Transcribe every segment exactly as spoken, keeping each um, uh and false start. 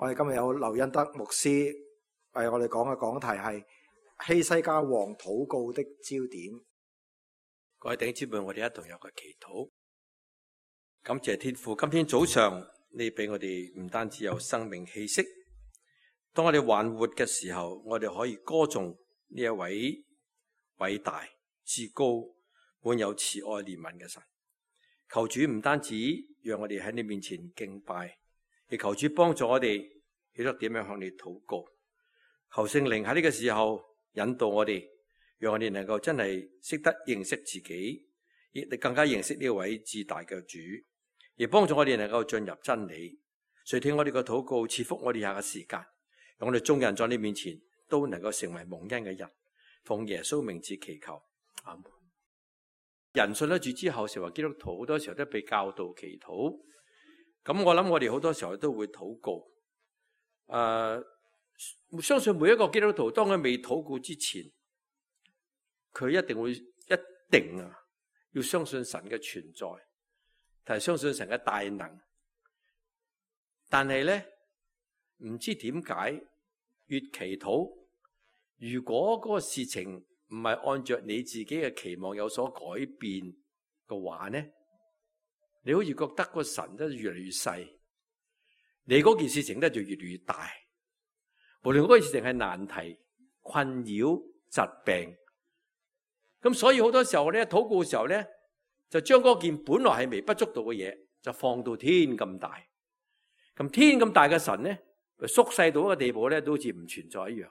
我哋今日有劉恩德牧師為我哋講嘅講題係希西家王禱告的焦點。各位弟兄姊妹，我哋一同有個祈禱。感謝天父，今天早上你俾我哋唔單止有生命氣息，當我哋還活嘅時候，我哋可以歌頌呢一位偉大、至高、滿有慈愛憐憫嘅神。求主唔單止讓我哋喺你面前敬拜，亦求主幫助我哋曉得點樣向你禱告。求聖靈喺呢個時候引導我哋，讓我哋能夠真係識得認識自己，亦更加認識呢位至大嘅主，亦幫助我哋能夠進入真理。垂聽我哋嘅禱告，賜福我哋下嘅時間，讓我哋眾人在你面前都能夠成為蒙恩嘅人。奉耶穌名字祈求，阿門。人信得住之後，成為基督徒，好多時候都被教導祈禱。咁我諗我哋好多時候都會禱告。誒、呃，相信每一個基督徒，當佢未禱告之前，佢一定會一定啊，要相信神嘅存在，同埋相信神嘅大能。但係咧，唔知點解越祈禱，如果嗰個事情唔係按照你自己嘅期望有所改變嘅話呢，你好似覺得個神都越嚟越細，你嗰件事情咧就越嚟越大。無論嗰件事情係難題、困擾、疾病，咁所以好多時候咧，禱告嘅時候咧，就將嗰件本來係微不足道嘅嘢，就放到天咁大。咁天咁大嘅神咧，縮細到一個地步咧，都好似唔存在一樣。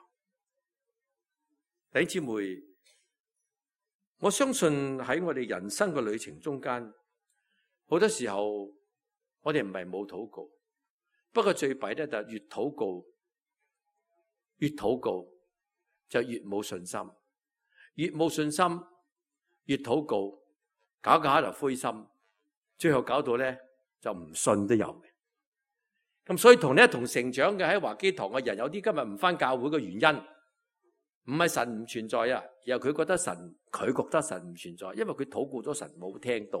弟兄姊妹，我相信喺我哋人生嘅旅程中間，好多時候我哋唔係冇禱告，不過最弊咧就係越禱告越禱告就越冇信心，越冇信心越禱告，搞搞下就灰心，最後搞到咧就唔信都有嘅。咁所以同你一同成長嘅喺華基堂嘅人，有啲今日唔返教會嘅原因，唔係神唔存在啊，而係佢覺得神，佢覺得神唔存在，因為佢禱告咗神冇聽到，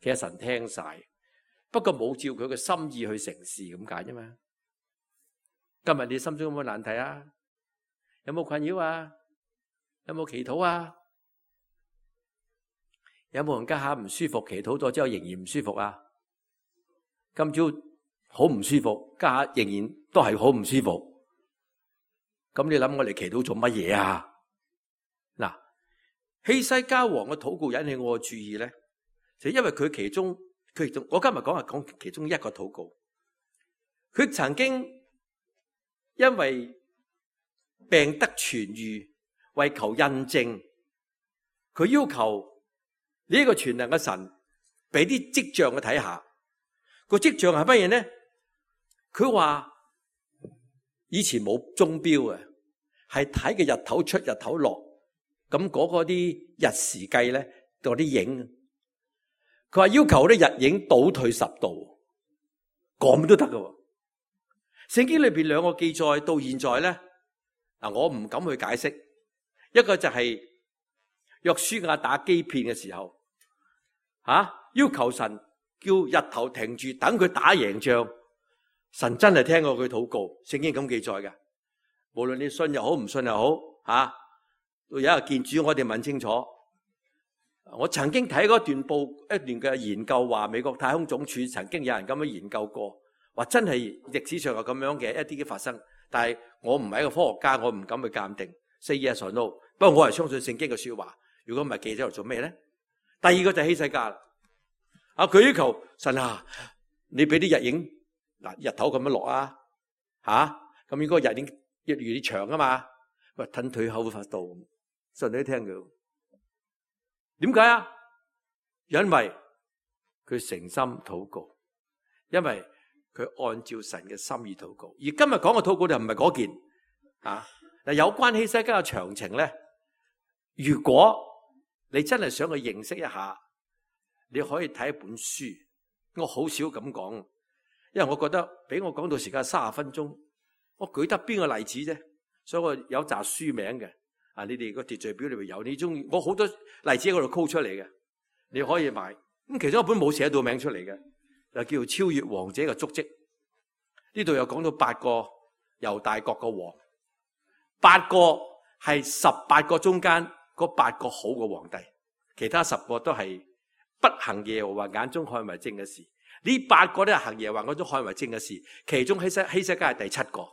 其實神聽晒，不過冇照佢嘅心意去成事咁解啫嘛。今日你心中有冇難題啊？有冇困擾啊？有冇祈禱啊？有冇人家下唔舒服，祈禱咗之後仍然唔舒服啊？今朝好唔舒服，家下仍然都係好唔舒服。咁你諗我哋祈禱做乜嘢啊？嗱，希西家王嘅禱告引起我嘅注意咧，就因為佢其中佢其中，我今日講係講其中一個禱告。佢曾經因為病得痊愈，為求印證，佢要求呢個全能嘅神俾啲跡象佢睇下。個跡象係乜嘢呢？佢話以前冇鐘錶啊，係睇嘅日頭出日頭落，咁嗰個啲日時計咧，嗰啲影，佢話要求啲日影倒退十度，咁都得噶。聖經裏邊兩個記載到現在咧，嗱我唔敢去解釋。一個就係約書亞打基遍嘅時候，吓、啊、要求神叫日頭停住，等佢打贏仗。神真係聽過佢禱告，聖經咁記載嘅。無論你信又好，唔信又好，吓、啊，有一日見主，我哋問清楚。我曾經睇過一段報，一段嘅研究，話美國太空總署曾經有人咁樣研究過，話真係歷史上有咁樣嘅一啲嘅發生。但係我唔係一個科學家，我唔敢去鑑定。Say yes or no，不過我係相信聖經嘅說話。如果唔係，記者嚟做咩咧？第二個就係希西家啦。啊，佢要求神啊，你俾啲日影。嗱，日頭咁樣落啊，吓，咁應該日影越嚟越長啊嘛，喂，褪退後發到，神你都聽佢，點解啊？因為佢誠心禱告，因為佢按照神嘅心意禱告。而今日講嘅禱告就唔係嗰件，啊，嗱，有關希西家嘅詳情咧，如果你真係想去認識一下，你可以睇一本書，我好少咁講。因為我覺得俾我講到時間三十分鐘，我舉得邊個例子啫？所以我有紮書名嘅，啊，你哋個秩序表裏邊有，你中意我好多例子喺嗰度 call 出嚟嘅，你可以買。咁其中一本冇寫到名出嚟嘅，就叫做《超越王者嘅足跡》。呢度有講到八個猶大國嘅王，八個係十八個中間嗰八個好嘅皇帝，其他十個都係不行耶和華眼中看為正嘅事。呢八個都係行耶和華眼中看為正嘅事，其中希西希西家係第七個，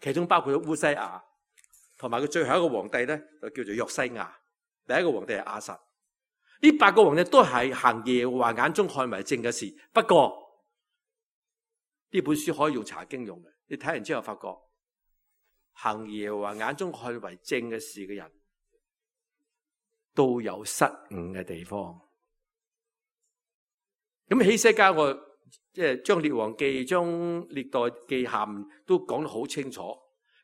其中包括咗烏西亞，同埋佢最後一個皇帝咧就叫做約西亞，第一個皇帝係亞撒。呢八個皇帝都係行耶和華眼中看為正嘅事，不過呢本書可以用查經用嘅，你睇完之後發覺行耶和華眼中看為正嘅事嘅人都有失誤嘅地方。咁希西家我即係將列王記、將歷代記下都講得好清楚。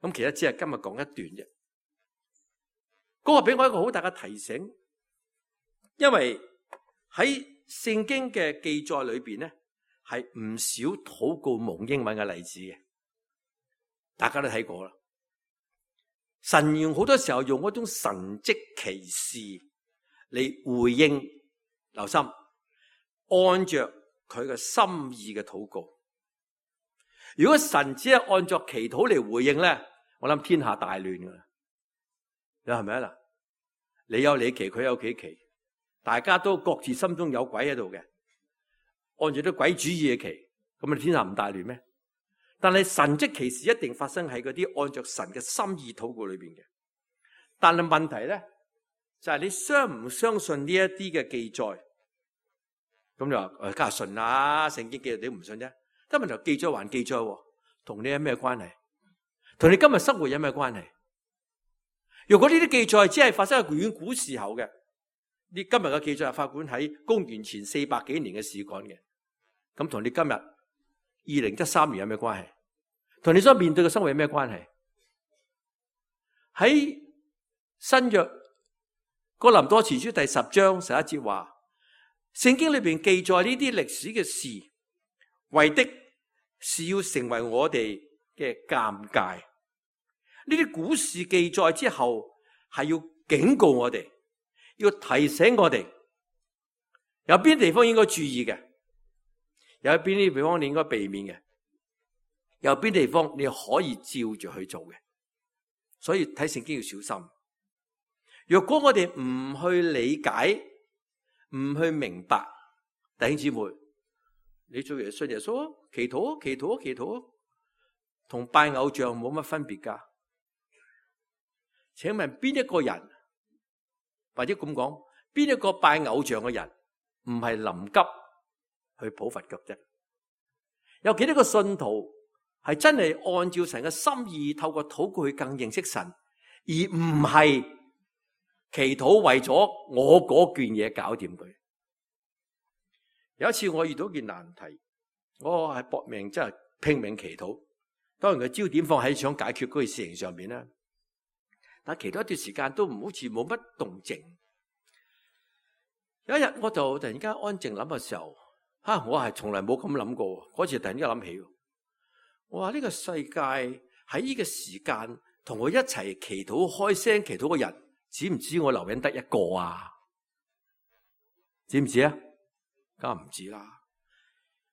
咁其實只係今日講一段啫。嗰個俾我一個好大嘅提醒，因為喺聖經嘅記載裏邊咧，係唔少禱告蒙應允嘅例子嘅，大家都睇過啦。神用好多時候用嗰種神蹟奇事嚟回應，留心按着佢嘅心意嘅禱告。如果神只係按照祈禱嚟回應咧，我諗天下大亂噶啦。你係咪啊嗱？你有你祈，佢有佢祈，大家都各自心中有鬼喺度嘅，按住啲鬼主意嘅祈，咁啊天下唔大亂咩？但係神蹟奇事一定發生喺嗰啲按照神嘅心意禱告裏邊嘅。但係問題咧，就係、是、你相唔相信呢一啲嘅記載？咁你話誒，梗係信啦，聖經記載你唔信啫。但係問題記載還記載，同你有咩關係？同你今日生活有咩關係？如果呢啲記載只係發生喺遠古時候嘅，你今日嘅記載係發管喺公元前四百幾年嘅事幹嘅，咁同你今日二零一三年有咩關係？同你所面對嘅生活有咩關係？喺新約哥林多前書第十章十一節話，聖經裏邊記載呢啲歷史嘅事，為的是要成為我哋嘅鑒戒。呢啲古事記載之後，係要警告我哋，要提醒我哋，有邊啲地方應該注意嘅，有邊啲地方你應該避免嘅，有邊啲地方你可以照住去做嘅。所以睇聖經要小心。若果我哋唔去理解，唔去明白，弟兄姊妹，你做嘢信耶穌啊，祈禱啊，祈禱啊，祈禱啊，同拜偶像冇乜分別噶。請問邊一個人，或者咁講，邊一個拜偶像嘅人唔係臨急去抱佛腳啫？有幾多個信徒係真係按照神嘅心意，透過禱告去更認識神，而唔係祈禱為咗我嗰件嘢搞掂佢？有一次我遇到件難題，我係搏命真係拼命祈禱，當然個焦點放喺想解決嗰件事情上面啦。但係祈禱一段時間都唔好似冇乜動靜。有一日我就突然間安靜諗嘅時候，吓我係從來冇咁諗過。嗰次突然間諗起，我話呢個世界喺呢個時間同我一齊祈禱開聲祈禱嘅人，知唔知我留緊得一個啊？知唔知啊？梗係唔知啦。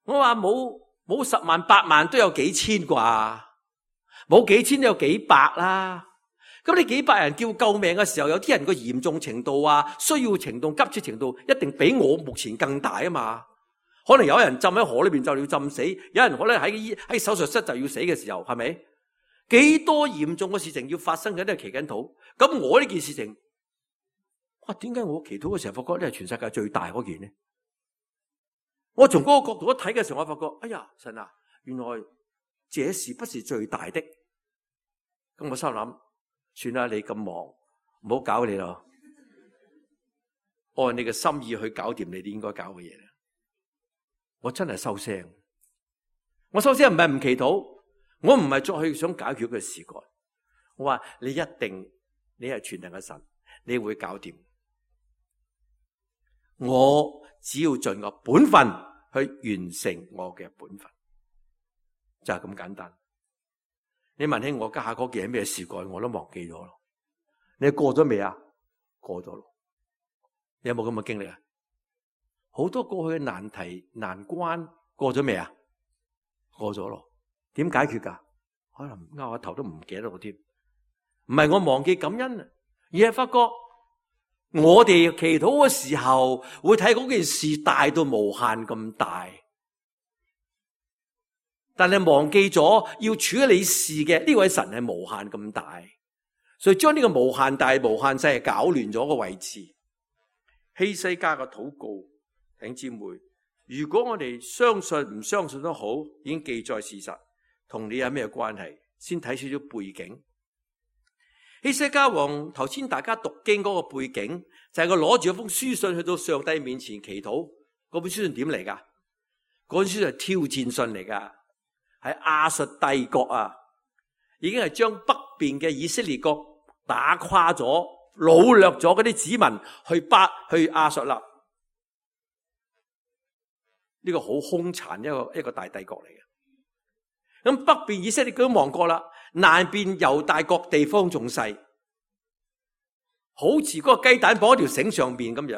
我話冇冇十萬八萬都有幾千啩，冇幾千都有幾百啦。咁你幾百人叫救命嘅時候，有啲人個嚴重程度啊、需要程度、急切程度，一定比我目前更大啊嘛。可能有人浸喺河裏邊就要浸死，有人可能喺喺手術室就要死嘅時候，係咪？幾多嚴重嘅事情要發生緊都係祈緊禱。咁我呢件事情，哇，點解我祈禱嘅時候發覺呢係全世界最大嗰件呢？我從嗰個角度一睇嘅時候，我發覺，哎呀，神啊，原來這事不是最大的。咁我心諗，算啦，你咁忙，唔好搞你咯，按你嘅心意去搞掂你哋應該搞嘅嘢。我真係收聲，我收聲唔係唔祈禱，我唔係再去想解決佢事幹。我話你一定，你係全能嘅神，你會搞掂。我只要盡我本分去完成我嘅本分，就係咁簡單。你問起我家下嗰件係咩事幹，我都忘記咗咯。你過咗未啊？過咗咯。你有冇咁嘅經歷啊？好多過去嘅難題難關過咗未啊？過咗咯。點解決噶？可能拗下頭都唔記得我添。唔係我忘記感恩啊，而係發覺我哋祈禱嘅時候會睇嗰件事大到無限咁大，但係忘記咗要處理事嘅呢位神係無限咁大，所以將呢個無限大無限細係搞亂咗個位置。希西家嘅禱告，弟兄姊妹，如果我哋相信唔相信都好，已經記載事實，同你有咩關係？先睇少少背景。希西家王頭先大家讀經嗰個背景，就係佢攞住一封書信去到上帝面前祈禱。嗰本書信點嚟噶？嗰本書信係挑戰信嚟噶，係亞述帝國啊，已經係將北邊嘅以色列國打垮咗、擄掠咗嗰啲子民去巴去亞述啦。呢個好兇殘一個一個大帝國嚟嘅。咁北邊以色列佢都亡國啦，南邊猶大國地方仲細，好似嗰個雞蛋綁喺條繩上邊咁樣。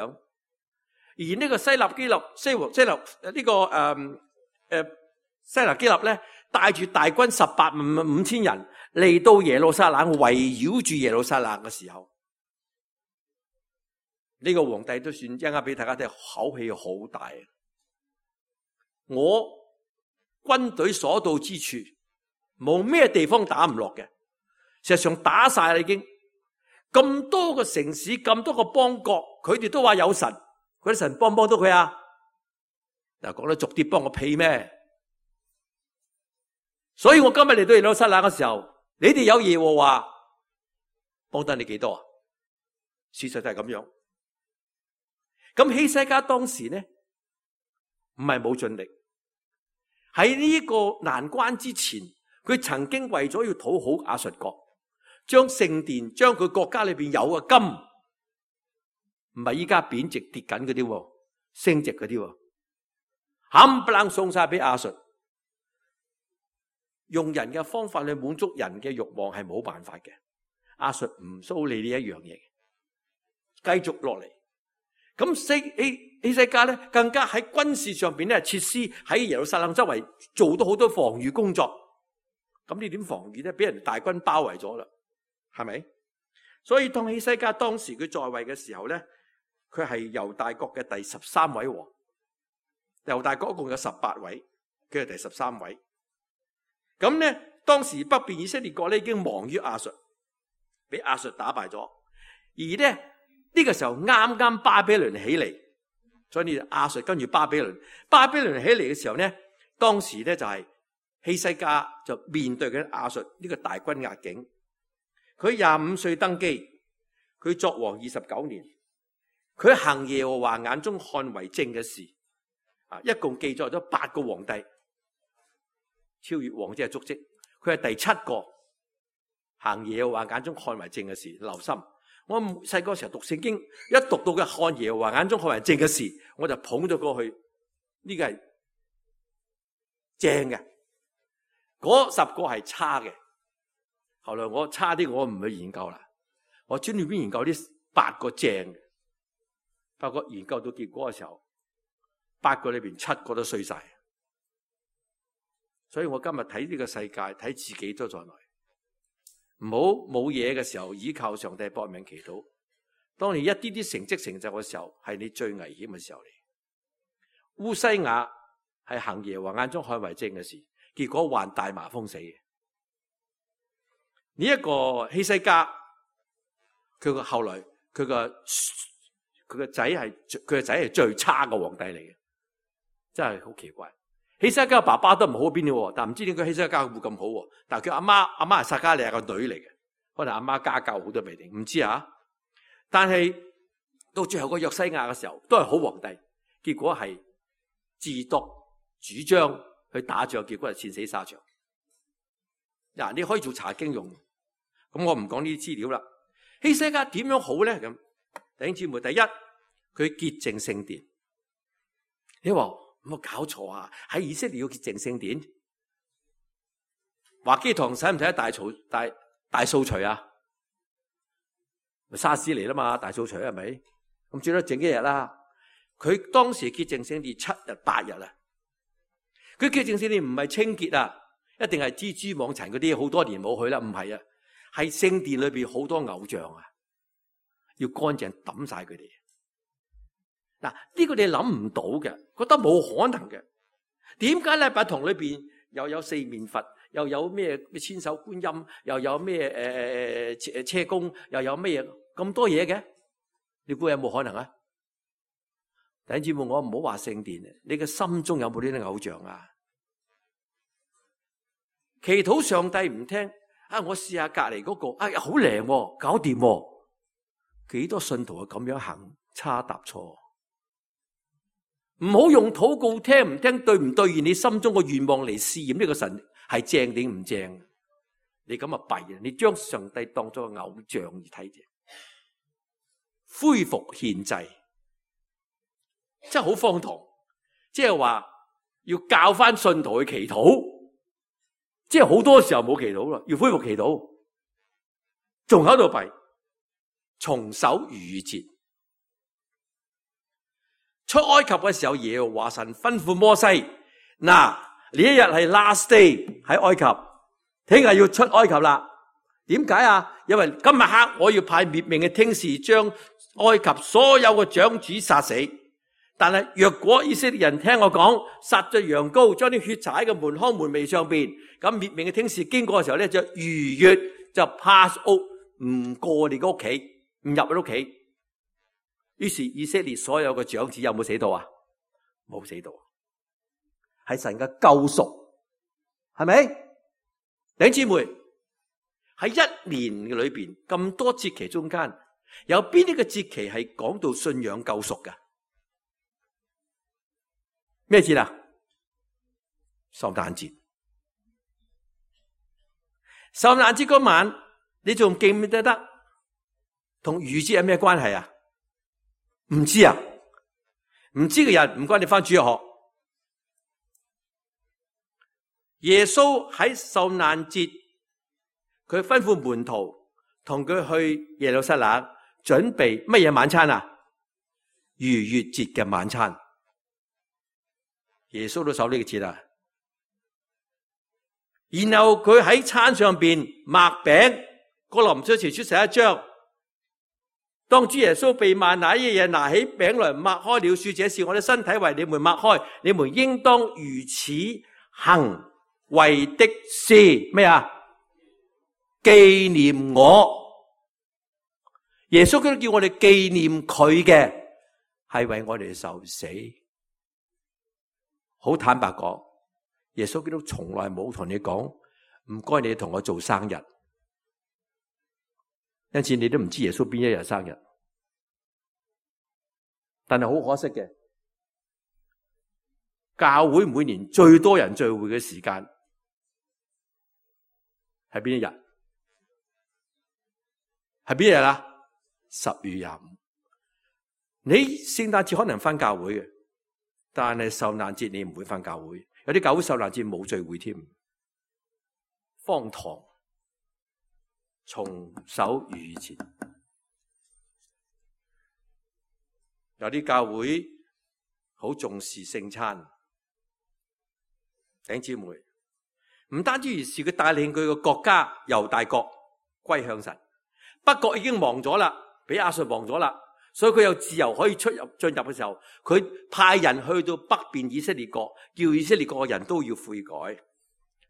而呢個西納基立西王西納呢、這個誒誒、呃、西納基立咧，帶住大軍十八萬五千人嚟到耶路撒冷，圍繞住耶路撒冷嘅時候，呢、這個皇帝都算一陣間俾大家睇，口氣好大。我軍隊所到之處，冇咩地方打唔落嘅。事實上打晒啦，已經咁多個城市，咁多個邦國，佢哋都話有神，嗰啲神幫唔幫到佢啊？嗱，講得俗啲，幫我屁咩？所以我今日嚟到耶路撒冷嘅時候，你哋有耶和華幫得你幾多啊？事實就係咁樣。咁希西家當時呢，唔係冇盡力。喺呢個難關之前，佢曾經為咗要討好亞述國，將聖殿、將佢國家裏邊有嘅金，唔係依家貶值跌緊嗰啲，升值嗰啲，冚唪唥送晒俾亞述。用人嘅方法去滿足人嘅慾望係冇辦法嘅，亞述唔蘇你呢一樣嘢，繼續落嚟。咁希希西家咧，更加喺軍事上邊咧設施喺耶路撒冷周圍做到好多防禦工作。咁你點防禦咧？俾人大軍包圍咗啦，係咪？所以當希西家當時佢在位嘅時候咧，佢係猶大國嘅第十三位王。猶大國一共有十八位，佢係第十三位。咁咧，當時北邊以色列國咧已經亡於亞述，俾亞述打敗咗。而咧呢、這個時候啱啱巴比倫起嚟，所以呢亞述跟住巴比倫，巴比倫起嚟嘅時候咧，當時咧就係希西家就面對緊亞述呢個大軍壓境。佢廿五歲登基，佢作王二十九年，佢行耶和華眼中看為正嘅事，啊，一共記載咗八個皇帝，超越王者嘅足跡。佢係第七個行耶和華眼中看為正嘅事。留心，我細個時候讀聖經，一讀到嘅看耶和華眼中看為正嘅事，我就捧咗過去，呢個係正嘅，嗰十個係差嘅。後來我差啲，我唔去研究啦，我專門研究呢八個正嘅，發覺研究到結果嘅時候，八個裏邊七個都衰晒。所以我今日睇呢個世界，睇自己都在內。唔好冇嘢嘅時候，依靠上帝搏命祈禱。當你一啲啲成績成就嘅時候，係你最危險嘅時候嚟。烏西雅係行耶和華眼中看為正嘅事，結果患大麻風死嘅。呢、這、一個希西家，佢個後來佢個佢個仔係佢個仔係最差嘅皇帝嚟嘅，真係好奇怪。希西家爸爸都唔好邊嘅，但唔知點解希西家會咁好。但係佢阿媽阿媽係撒迦利亞個女嚟嘅，可能阿媽家教好多未定，唔知啊。但係到最後個約西亞嘅時候，都係好皇帝，結果係自作主張去打仗，結果係戰死沙場。嗱，你可以做查經用，咁我唔講呢啲資料啦。希西家點樣好咧？咁弟兄姊妹，第一佢潔淨聖殿。你話有冇搞錯啊？喺以色列要潔淨聖殿，華基堂使唔使大掃大大掃除啊？咪沙士嚟啦嘛，大掃除係咪？咁最多整一日啦。佢當時潔淨聖殿七日八日啊。佢潔淨聖殿唔係清潔啊。一定係蜘蛛網塵嗰啲好多年冇去啦，唔係啊，係聖殿裏邊好多偶像啊，要乾淨抌晒佢哋。嗱，呢個你諗唔到嘅，覺得冇可能嘅。點解禮拜堂裏邊又有四面佛，又有咩咩千手觀音，又有咩誒誒車公，又有咩咁多嘢嘅？你估有冇可能啊？弟兄姊妹，我唔好話聖殿，你嘅心中有冇呢啲偶像啊？祈禱上帝唔聽啊！我試下隔籬嗰個，哎呀好靈，搞掂喎。幾多信徒係咁樣行差踏錯？唔好用禱告聽唔聽對唔對現你心中嘅願望嚟試驗呢個神係正定唔正？你咁啊弊啊！你將上帝當作個偶像而睇啫。恢復獻祭，真係好荒唐。即係話要教翻信徒去祈禱。即係好多時候冇祈禱啦，要恢復祈禱，仲喺度弊，重守逾越節。出埃及嘅時候，耶和華神吩咐摩西：嗱，呢一日係 last day 喺埃及，聽日要出埃及啦。點解啊？因為今日黑我要派滅命嘅天使將埃及所有嘅長子殺死。但係若果以色列人聽我講，殺咗羊羔，將啲血灑喺個門框門楣上邊，咁滅命嘅天使經過嘅時候咧，就逾越就 pass out， 唔過你個屋企，唔入你屋企。於是以色列所有嘅長子有冇死到啊？冇死到，係神嘅救贖，係咪？弟兄姊妹，喺一年嘅裏邊咁多節期中間，有邊啲嘅節期係講到信仰救贖嘅？咩節啊？聖誕節。聖誕節嗰晚，你仲記唔記得得？同逾節有咩關係啊？唔知啊？唔知嘅人唔該你翻主日學。耶穌喺聖誕節，佢吩咐門徒同佢去耶路撒冷準備乜嘢晚餐啊？逾越節嘅晚餐。耶穌都守呢個節啊，然後佢喺餐上邊擘餅，哥林多前書十一章，當主耶穌被賣那一夜，拿起餅來擘開了，說：這是我的身體為你們擘開，你們應當如此行，為的是咩啊？紀念我。耶穌基督叫我哋紀念佢嘅，係為我哋受死。好坦白講，耶穌基督從來冇同你講唔該你同我做生日，因此你都唔知耶穌邊一日生日。但係好可惜嘅，教會每年最多人聚會嘅時間係邊一日？係邊一日啊？十月廿五。你聖誕節可能返教會嘅，但係受難節你唔會返教會。有啲教會受難節冇聚會添，荒唐。重守逾越節。有啲教會好重視聖餐，弟兄姊妹，唔單止如是，佢帶領佢個國家猶大國歸向神。北國已經亡咗啦，俾亞述亡咗啦，所以佢有自由可以出入進入嘅時候，佢派人去到北邊以色列國，叫以色列國嘅人都要悔改。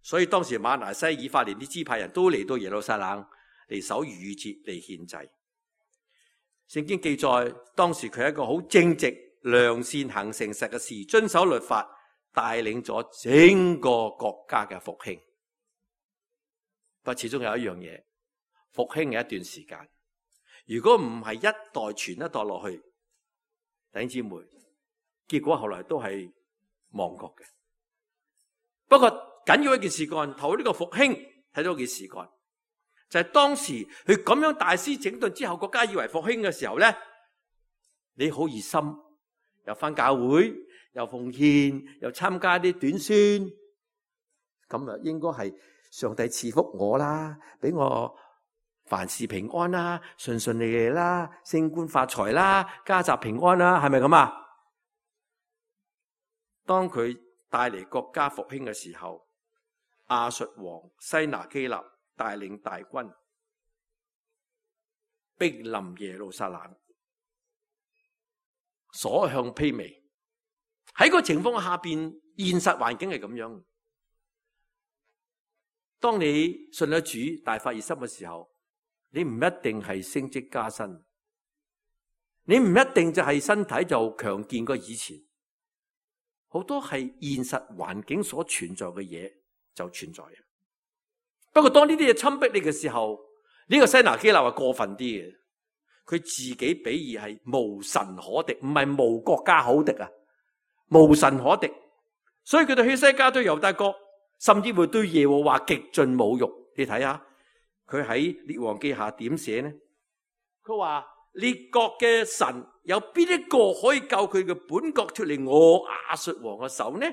所以當時馬拿西、以法蓮啲支派人都嚟到耶路撒冷嚟守逾越節嚟獻祭。聖經記載，當時佢係一個好正直、良善、行誠實嘅事，遵守律法，帶領咗整個國家嘅復興。不過始終有一樣嘢，復興嘅一段時間，如果唔係一代傳一代落去，弟兄姊妹，結果後來都係亡國嘅。不過緊要一件事幹，頭呢個復興睇到一件事幹。就係當時佢咁樣大施整頓之後，國家以為復興嘅時候咧，你好熱心，又返教會，又奉獻，又參加啲短宣，咁啊應該係上帝賜福我啦，俾我凡事平安啦，順順利利啦，升官發財啦，家宅平安啦，係咪咁啊？當佢帶嚟國家復興嘅時候，亞述王西拿基立帶領大軍逼臨耶路撒冷，所向披靡。喺個情況下邊，現實環境係咁樣。當你信咗主大發熱心嘅時候，你唔一定係升職加薪，你唔一定就係身體就強健過以前，好多係現實環境所存在嘅嘢就存在。不過當呢啲嘢侵迫你嘅時候，呢、這個西拿基立係過分啲嘅，佢自己比喻係無神可敵，唔係無國家可敵啊，無神可敵。所以佢對希西家對猶大國，甚至會對耶和華極盡侮辱。你睇下佢喺列王記下點寫呢？佢話列國嘅神有邊一個可以救佢嘅本國脫離我亞述王嘅手呢？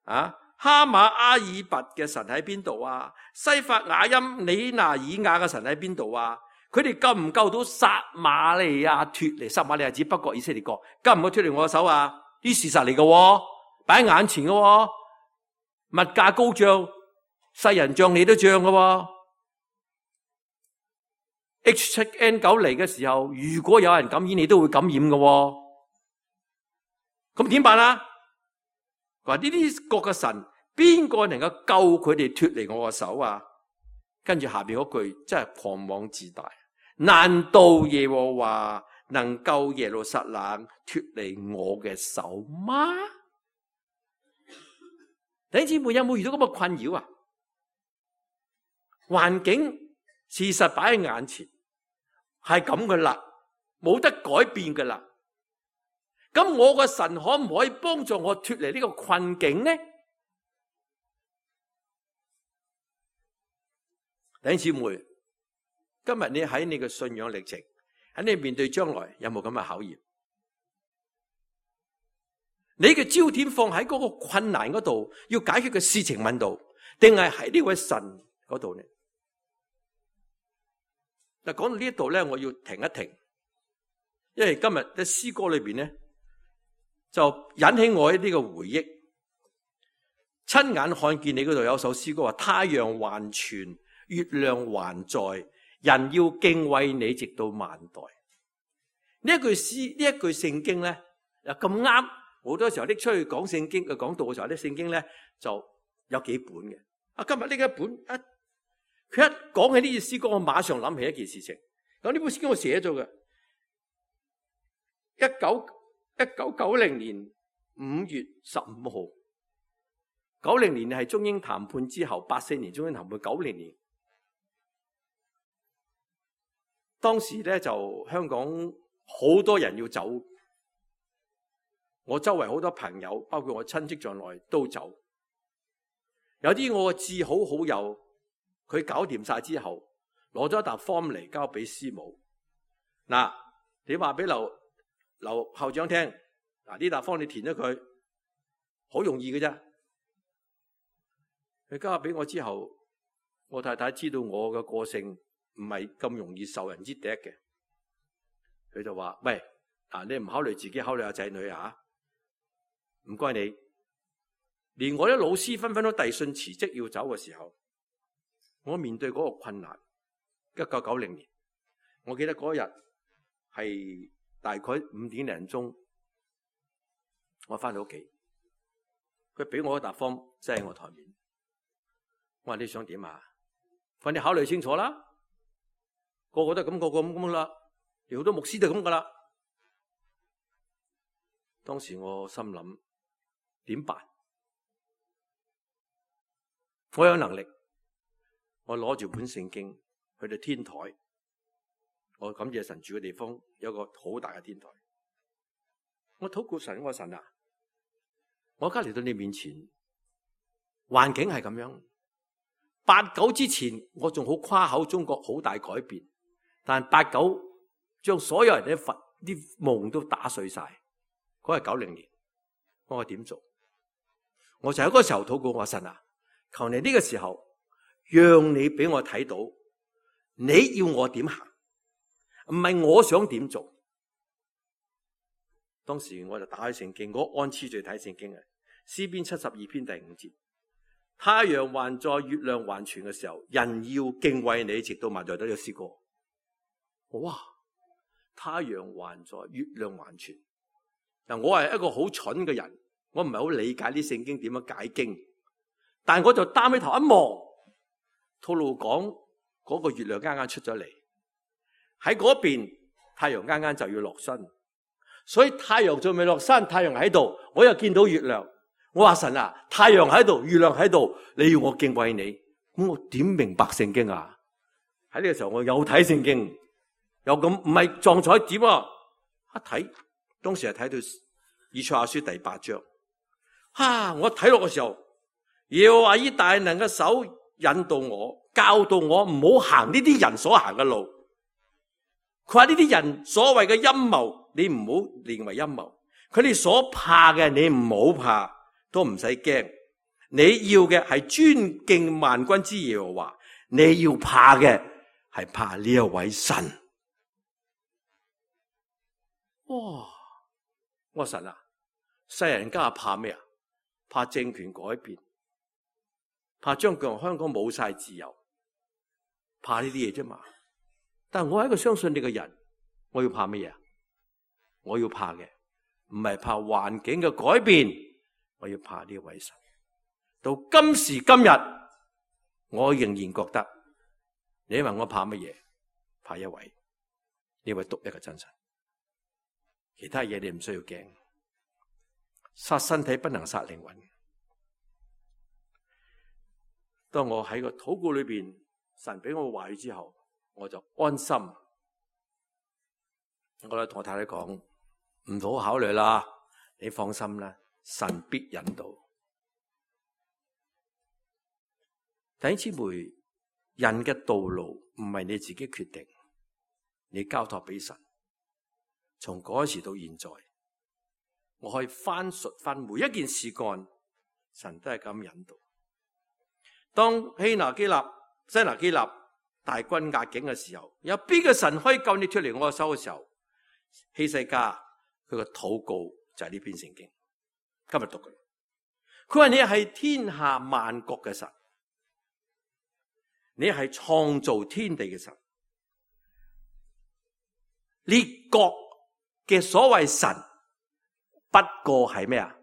啊，哈馬阿爾拔嘅神喺邊度啊？西法雅音里拿爾亞嘅神喺邊度啊？佢哋救唔救到撒瑪利亞脫離？撒瑪利亞指北國以色列國，救唔救脫離我嘅手啊？呢事實嚟嘅，擺喺眼前嘅，物價高漲，世人漲你都漲嘅。H 七 N 九 嚟嘅時候，如果有人感染，你都會感染嘅。咁點辦啊？話呢啲國嘅神，邊個能夠救佢哋脫離我嘅手啊？跟住下邊嗰句真係狂妄自大。難道耶和華能救耶路撒冷脫離我嘅手嗎？弟兄姊妹有冇遇到咁嘅困擾啊？環境事實擺喺眼前，係咁嘅啦，冇得改變嘅啦。咁我個神可唔可以幫助我脫離呢個困境呢？弟兄姊妹，今日你喺你嘅信仰歷程，喺你面對將來有冇咁嘅考驗？你嘅焦點放喺嗰個困難嗰度，要解決嘅事情問度，定係喺呢位神嗰度呢？嗱，講到呢一度咧，我要停一停，因為今日嘅詩歌裏邊咧，就引起我一啲嘅回憶。親眼看見你嗰度有首詩歌話：太陽還存，月亮還在，人要敬畏你，直到萬代。呢一句詩，呢一句聖經咧，又咁啱。好多時候拎出去講聖經嘅講道嘅時候，啲聖經咧就有幾本嘅。啊，今日呢一本一，佢一講起呢句詩歌，我馬上諗起一件事情。咁呢本詩經我寫咗嘅，一九一九九零年五月十五號，九零年係中英談判之後，八四年中英談判，九零年，當時咧就香港好多人要走。我周圍好多朋友，包括我親戚在內都走。有啲我嘅至好好友，佢搞掂晒之後，攞咗一沓 form 嚟交俾師母。嗱，你話俾劉劉校長聽，嗱呢沓 form 你填咗佢，好容易嘅啫。佢交俾我之後，我太太知道我嘅個性唔係咁容易受人之敵嘅，佢就話：喂，嗱你唔考慮自己，考慮下仔女啊！唔該你，連我啲老師紛紛都遞信辭職要走嘅時候，我面對嗰個困難。一九九零年，我記得嗰日係大概五點零鐘，我翻到屋企，佢俾我一沓 form 擠喺我台面。我話你想點啊？快啲考慮清楚啦！個個都係咁，個個咁咁啦，連好多牧師都係咁噶啦。當時我心諗。點辦？我有能力，我攞住本聖經去到天台，我感謝神住嘅地方有一個好大嘅天台。我禱告神，我神啊，我而家嚟到你面前，環境係咁樣。八九之前我仲好誇口中國好大改變，但八九將所有人嘅佛啲夢都打碎晒。嗰係九零年，我話點做？我就喺嗰個時候禱告我神啊，求你呢個時候讓你俾我睇到你要我點行，唔係我想點做。當時我就打開聖經，我按次序睇聖經嘅詩篇七十二篇第五節，太陽還在，月亮還存嘅時候，人要敬畏你，直到萬代。都有試過。哇！太陽還在，月亮還存。嗱，我係一個好蠢嘅人，我唔係好理解啲聖經點樣解經，但我就擔起頭一望，套路講嗰個月亮啱啱出咗嚟，喺嗰邊太陽啱啱就要落山，所以太陽仲未落山，太陽喺度，我又見到月亮。我話神啊，太陽喺度，月亮喺度，你要我敬畏你，咁我點明白聖經啊？喺呢個時候我有睇聖經，有咁唔係撞彩點啊！一睇，當時係睇到以賽亞書第八章，啊！我睇落嘅時候，耶和華以大能嘅手引導我，教導我唔好行呢啲人所行嘅路。佢話呢啲人所謂嘅陰謀，你唔好認為陰謀，佢哋所怕嘅你唔好怕。都唔使驚，你要嘅係尊敬萬軍之耶和華，你要怕嘅係怕呢一位神。哇！我神啊，世人家怕咩啊？怕政權改變，怕將來香港冇晒自由，怕呢啲嘢啫嘛。但係我係一個相信你嘅人，我要怕咩嘢？我要怕嘅唔係怕環境嘅改變。我要怕呢位神，到今時今日，我仍然覺得，你問我怕乜嘢？怕一位，呢位獨一嘅真神，其他嘢你唔需要驚。殺身體不能殺靈魂。當我喺個禱告裏邊，神俾我話語之後，我就安心。我咧同我太太講，唔好考慮啦，你放心啦。神必引導。弟兄姊妹，人嘅道路唔係你自己決定，你交託俾神。從嗰時到現在，我可以翻述翻每一件事幹，神都係咁引導。當希拿基立、西拿基立大軍壓境嘅時候，有邊個神可以救你脫離我嘅手嘅時候？希西家佢個禱告就係呢篇聖經。今日讀嘅，佢話你係天下萬國嘅神，你係創造天地嘅神。列國嘅所謂神，不過係咩啊？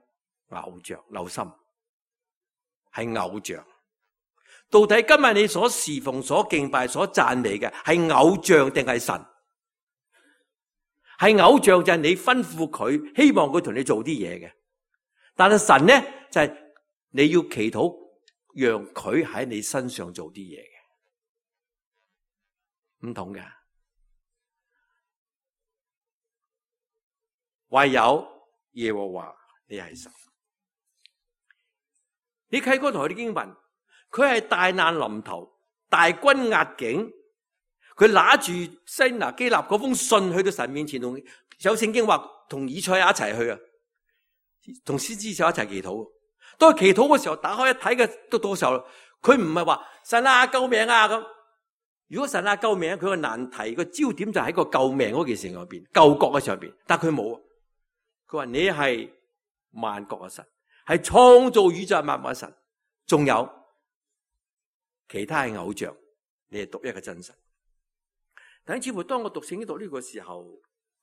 偶像，留心，係偶像。到底今日你所侍奉、所敬拜、所讚美嘅係偶像定係神？係偶像就係你吩咐佢，希望佢同你做啲嘢嘅。但係神呢，就係、是、你要祈禱，讓佢喺你身上做啲嘢嘅，唔同嘅。唯有耶和華你係神。你睇嗰台啲經文，佢係大難臨頭，大軍壓境，佢拿住西拿基立嗰封信去到神面前，同有聖經話同以賽亞一齊去啊。同先知就一齊祈禱，當佢祈禱嘅時候，打開一睇嘅都到時候，佢唔係話神啊救命啊咁。如果神啊救命，佢個難題個焦點就喺個救命嗰件事上邊，救國嘅上邊，但佢冇。佢話你係萬國嘅神，係創造宇宙萬物嘅神，仲有其他係偶像，你係獨一嘅真神。但係似乎當我讀聖經讀呢個時候，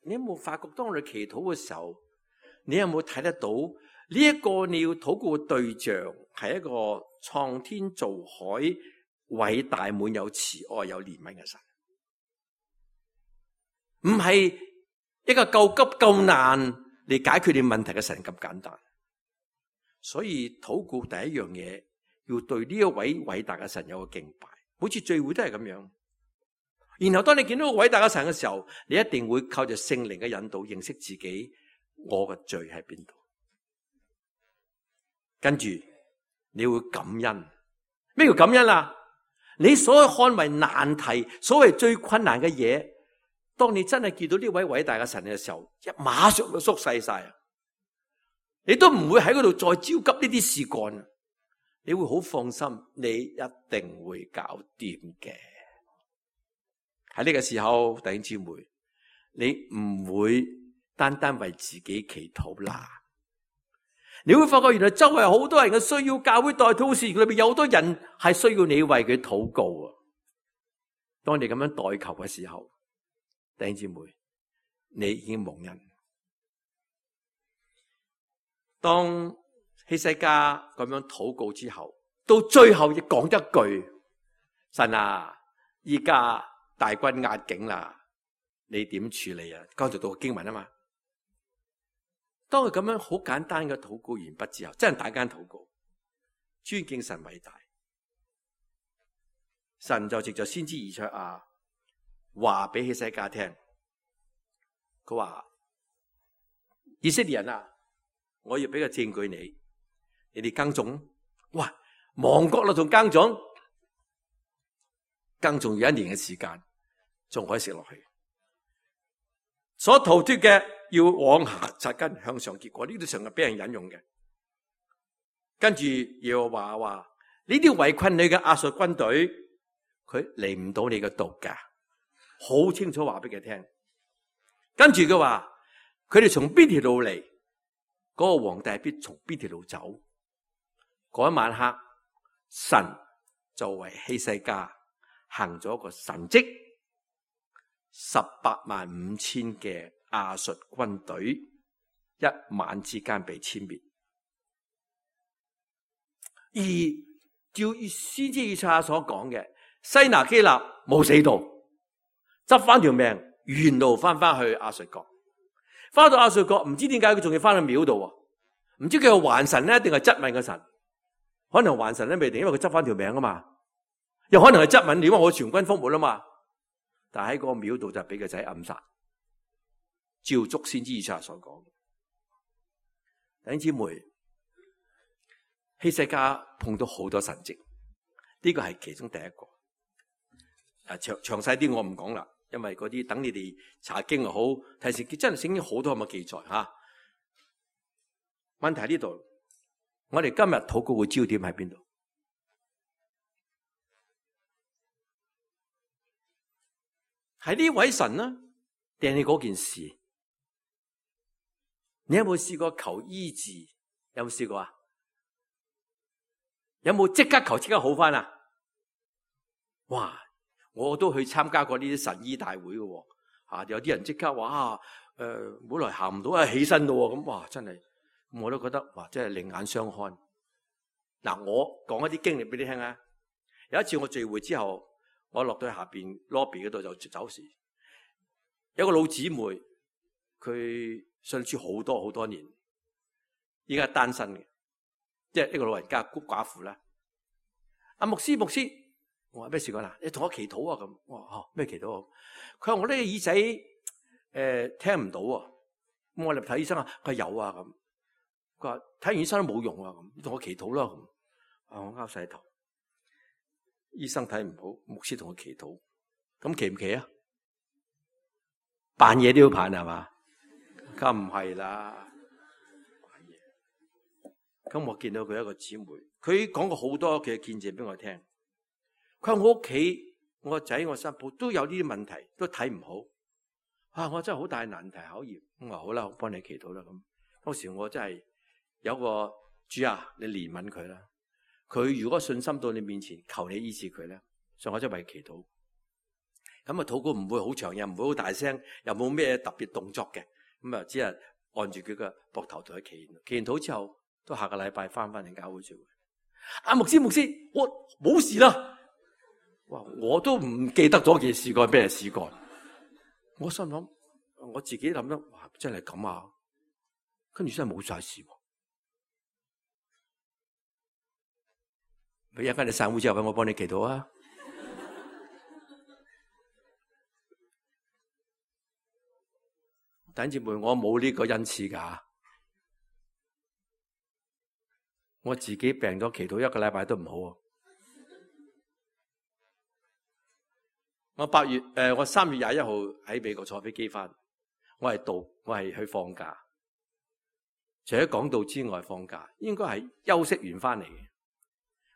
你有冇發覺當我哋祈禱嘅時候？你有冇睇得到呢一個你要禱告嘅對象係一個創天造海、偉大滿有慈愛有憐憫嘅神，唔係一個救急救難嚟解決你問題嘅神咁簡單。所以禱告第一樣嘢要對呢一位偉大嘅神有個敬拜，好似聚會都係咁樣。然後當你見到個偉大嘅神嘅時候，你一定會靠着聖靈嘅引導認識自己。我嘅罪喺邊度？跟住你會感恩。咩叫感恩啊？你所看為難題，所謂最困難嘅嘢，當你真係見到呢位偉大嘅神嘅時候，一馬上就縮細晒，你都唔會喺嗰度再焦急呢啲事幹，你會好放心，你一定會搞掂嘅。喺呢個時候，弟兄姊妹，你唔會單單為自己祈禱啦，你會發覺原來周圍好多人嘅需要，教會代禱事裏邊有好多人係需要你為佢禱告啊！當你咁樣代求嘅時候，弟兄姊妹，你已經蒙恩。當希西家咁樣禱告之後，到最後亦講一句：神啊，依家大軍壓境啦，你點處理啊？剛才讀經文啊嘛。當佢咁樣好簡單嘅禱告完畢之後，真係大間禱告，尊敬神偉大。神就藉着先知以賽亞話俾希西家聽，佢話：以色列人啊，我要俾個證據你，你哋耕種，哇，亡國啦，仲耕種，耕種要一年嘅時間，仲可以食落去。所逃脫嘅要往下扎根，向上結果，呢度成日俾人引用嘅。跟住又話話呢啲圍困你嘅亞述軍隊，佢嚟唔到你嘅度噶，好清楚話俾佢聽。跟住佢話佢哋從邊條路嚟，嗰個皇帝必從邊條路走。嗰一晚黑，神就為希西家行咗一個神蹟，十八萬五千嘅亞述軍隊一晚之間被殲滅。而照先知以賽亞所講嘅，西拿基立冇死到，執翻條命，原路翻翻去亞述國。翻到亞述國，唔知點解佢仲要翻去廟度，唔知佢係還神咧，定係質問個神？可能還神咧未定，因為佢執翻條命啊嘛。又可能係質問，點解我全軍覆沒啊嘛？但係喺個廟度就俾個仔暗殺，照足先知以賽亞所講。弟兄姊妹，希西家碰到好多神蹟，呢個係其中第一個。啊，詳詳細啲我唔講啦，因為嗰啲等你哋查經又好，睇聖經真係聖經好多咁嘅記載吓。問題喺呢度，我哋今日禱告嘅焦點喺邊度？係呢位神呢？定係嗰件事？你有冇試過求醫治？有冇試過啊？有冇即刻求即刻好翻啊？哇！我都去參加過呢啲神醫大會嘅，啊，有啲人即刻話，誒、呃，本來行唔到啊，起身咯，咁哇，真係，我都覺得哇，真係另眼相看。嗱，我講一啲經歷俾你聽啊。有一次我聚會之後，我落到下邊 lobby 嗰度就走時，有個老姊妹，佢信主好多好多年，依家單身嘅，即係呢個老人家孤寡婦啦。阿牧師，牧師，我話咩事講啦？你同我祈禱啊咁。我話咩、哦、祈禱啊？佢話我呢個耳仔誒、呃、聽唔到啊。咁我嚟睇醫生啊，佢有啊咁。佢話睇完醫生都冇用啊咁，你同我祈禱啦咁。啊，我拗晒頭。醫生睇唔好，牧師同佢祈禱，咁祈唔祈啊？扮嘢都要扮係嘛？梗唔係啦。咁我見到佢一個姊妹，佢講過好多嘅見證俾我聽。佢話我屋企我個仔我新抱都有呢啲問題，都睇唔好。啊，我真係好大難題考驗。咁話好啦，我幫你祈禱啦。咁當時我真係有個主啊，你憐憫佢啦。佢如果信心到你面前，求你醫治佢咧，所以我真係為祈禱。咁啊，禱告唔會好長，又唔會好大聲，又冇咩特別動作嘅。咁啊，只係按住佢嘅膊頭同佢祈禱。祈完禱之後，都下個禮拜翻翻嚟教會聚會。阿牧師，牧師，我冇事啦。哇，我都唔記得咗件事幹咩事幹。我心諗，我自己諗得，哇，真係咁啊！跟住真係冇晒事。佢一間你散會之後，我幫你祈禱啊！弟兄姊妹，我冇呢個恩賜噶，我自己病咗祈禱一個禮拜都唔好啊！我八月誒、呃，我三月廿一號喺美國坐飛機翻，我係度，我係去放假，除咗講道之外放假，應該係休息完翻嚟嘅。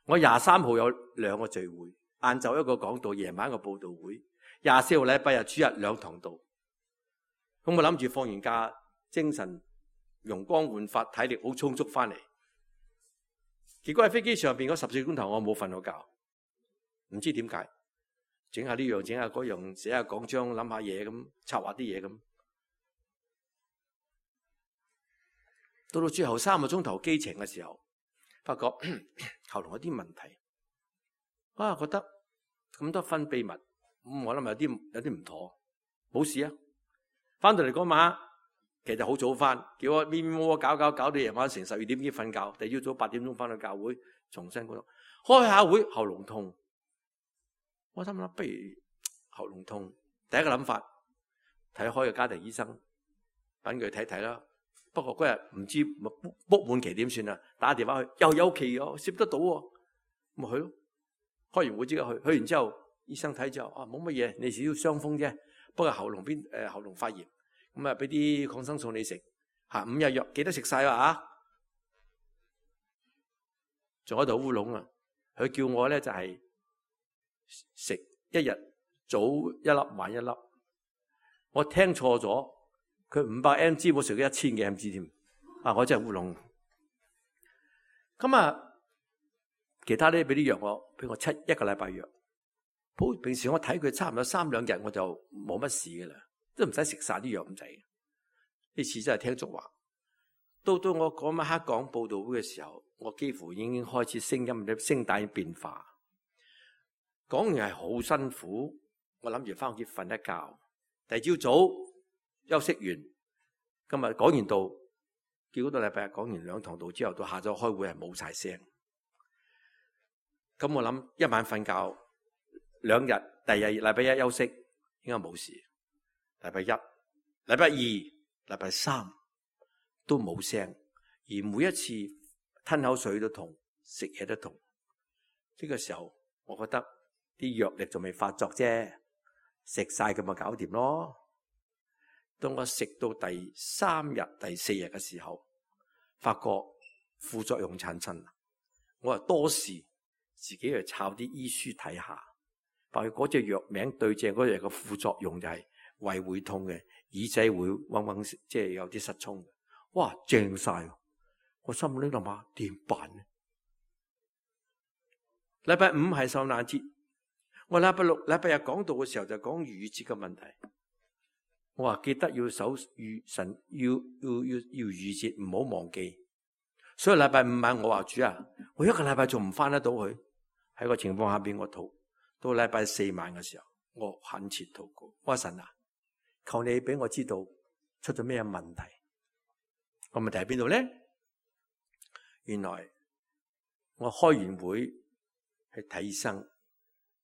我廿三號有兩個聚會，晏晝一個講道，夜晚一個佈道會。廿四號禮拜日主日兩堂道。咁我諗住放完假，精神容光煥發，體力好充足翻嚟。結果喺飛機上邊嗰十四個鐘頭，我冇瞓到覺，唔知點解，整下呢樣，整下嗰樣，寫下講章，諗下嘢咁，策劃啲嘢咁。到到最後三個鐘頭機程嘅時候，發覺喉嚨有啲問題，啊，覺得咁多分泌物，咁、嗯、我諗有啲有啲唔妥，冇事啊。翻到嚟嗰晚，其實好早翻，叫我咪咪摸摸搞搞搞到夜晚成十二點幾瞓覺，第二朝早八點鐘翻到教會，重新嗰度開下會，喉嚨痛。我心諗不如喉嚨痛，第一個諗法睇開個家庭醫生，等佢睇睇啦。不過嗰日唔知 book 滿期點算啊？打電話去又有期喎，攝得到喎，咪去咯。開完會即刻去，去完之後醫生睇之後啊，冇乜嘢，你少少傷風啫。不過喉嚨邊誒喉嚨發炎，咁啊俾啲抗生素你食嚇，五日藥記得食晒啊嚇。仲喺度烏龍啊！佢叫我咧就係食一日早一粒晚一粒，我聽錯咗。佢五百 M G 我食咗一千幾 M G 添，啊！我真係烏龍。咁啊，其他咧俾啲藥我，俾我七一個禮拜藥。好，平時我睇佢差唔多三兩日我就冇乜事嘅啦，都唔使食晒啲藥咁滯。呢次真係聽足話。到到我嗰晚黑講報道會嘅時候，我幾乎已經開始聲音嘅聲帶變化。講完係好辛苦，我諗住翻屋企瞓一覺。第二朝早休息完，今日講完道，結果到禮拜日講完兩堂道之後，到下晝開會係冇晒聲。咁我諗一晚瞓覺，兩日，第二日禮拜一休息，應該冇事。禮拜一、禮拜二、禮拜三都冇聲，而每一次吞口水都痛，食嘢都痛。呢個時候，我覺得啲藥力仲未發作啫，食晒佢咪搞掂咯。當我食到第三日、第四日嘅時候，發覺副作用產生，我話多事，自己去抄啲醫書睇下，發覺嗰隻藥名對正嗰隻嘅副作用就係胃會痛嘅，耳仔會嗡嗡，即係有啲失聰。哇，正晒！我心裏諗下點辦呢？禮拜五係受難節，我禮拜六、禮拜日講道嘅時候就講逾越節嘅問題。我話記得要守逾神，要要要要逾節，唔好忘記。所以禮拜五晚我話主啊，我一個禮拜仲唔翻得到去？喺個情況下邊我禱。到禮拜四晚嘅時候，我懇切禱告，我話神啊，求你俾我知道出咗咩問題。個問題喺邊度咧？原來我開完會去睇醫生，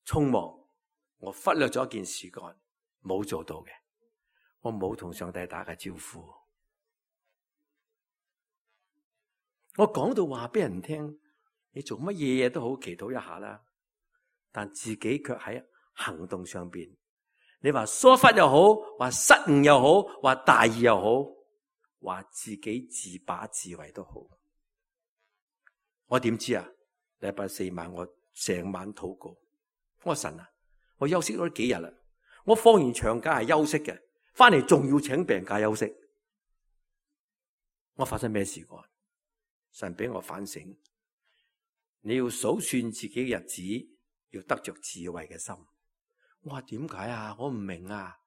匆忙，我忽略咗一件事幹，冇做到嘅。我冇同上帝打個招呼，我講到話俾人聽，你做乜嘢嘢都好，祈禱一下啦。但自己卻喺行動上邊，你話疏忽又好，話失誤又好，話大意又好，話自己自把自為都好。我點知啊？禮拜四晚我成晚禱告，我話神啊，我休息咗幾日啦，我放完長假係休息嘅。翻嚟仲要請病假休息，我發生咩事過？神俾我反省，你要數算自己嘅日子，要得着智慧嘅心。我話點解啊？我唔明啊！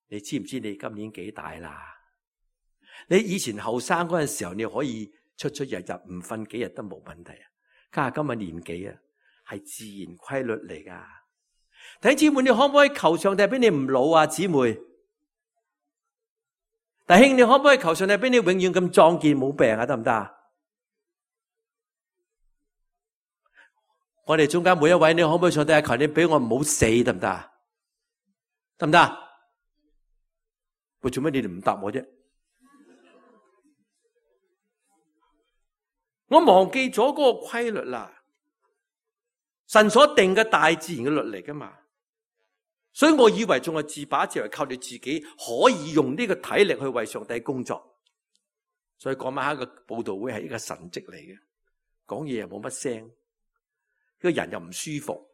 你知唔知你今年幾大啦？你以前後生嗰陣時候，你可以出出入入唔瞓幾日都冇問題啊！家下今日年紀啊，係自然規律嚟噶。弟兄姊妹，你可唔可以求上帝俾你唔老啊？姊妹。弟兄，你可唔可以求上帝俾你永遠咁壯健冇病啊？得唔得啊？我哋中間每一位，你可唔可以上帝求你俾我唔好死，得唔得啊？得唔得啊？喂，做咩你哋唔答我啫？我忘記咗嗰個規律啦，神所定嘅大自然嘅律嚟噶嘛。所以我以為仲係自把自為，靠你自己可以用呢個體力去為上帝工作。所以嗰晚黑嘅佈道會係一個神蹟嚟嘅，講嘢又冇乜聲，個人又唔舒服，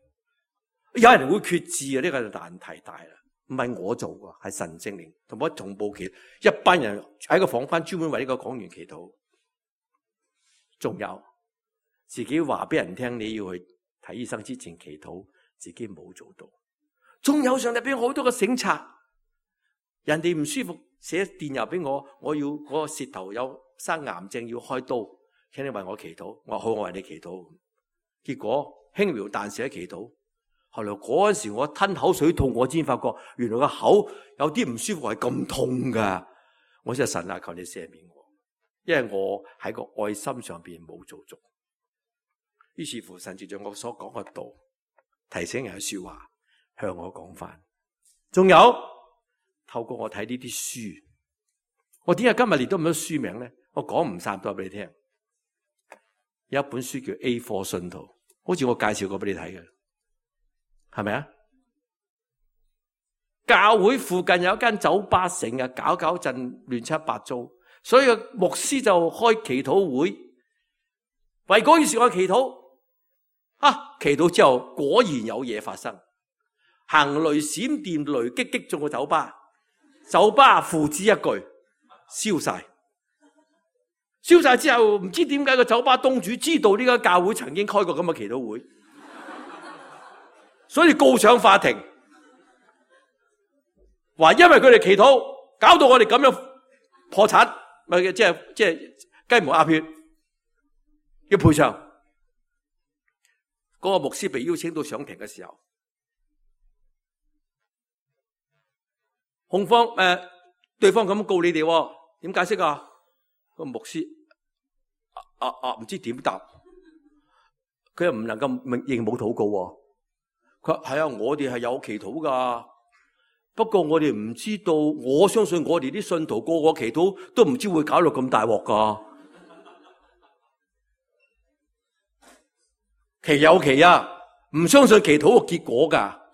有人會決志啊！呢個就難題大啦。唔係我做㗎，係神聖靈同我同步祈禱，一班人喺個房間專門為呢個講員祈禱。仲有自己話俾人聽你要去睇醫生之前祈禱，自己冇做到。仲有上帝俾我好多個省察，人哋唔舒服寫電郵俾我，我要嗰個舌頭有生癌症要開刀，請你為我祈禱。我話好，我為你祈禱。結果輕描淡寫祈禱。後來嗰陣時我吞口水痛，我先發覺原來個口有啲唔舒服係咁痛噶。我就神啊，求你赦免我，因為我喺個愛心上邊冇做足。於是乎神藉着我所講嘅道，提醒人嘅說話向我講翻。仲有透過我睇呢啲書，我點解今日列咗咁多書名咧？我講唔晒，都話俾你聽。有一本書叫 A 貨 信徒，好似我介紹過俾你睇嘅。係咪啊？教會附近有一間酒吧，成日搞搞震亂七八糟，所以牧師就開祈禱會，為嗰件事我祈禱。啊，祈禱之後果然有嘢發生，行雷閃電雷擊擊中個酒吧，酒吧付之一炬，燒晒。燒晒之後，唔知點解個酒吧東主知道呢間教會曾經開過咁嘅祈禱會。所以告上法庭，話因為佢哋祈禱，搞到我哋咁樣破產，咪即係即係雞毛鴨血，要賠償。嗰個牧師被邀請到上庭嘅時候，控方誒、呃、對方咁告你哋，點解釋啊？個牧師啊啊啊唔知點答，佢又唔能夠認冇禱告。佢話係啊，我哋係有祈禱噶，不過我哋唔知道，我相信我哋啲信徒個個祈禱都唔知會搞到咁大鑊噶。其有其啊，唔相信祈禱個結果噶。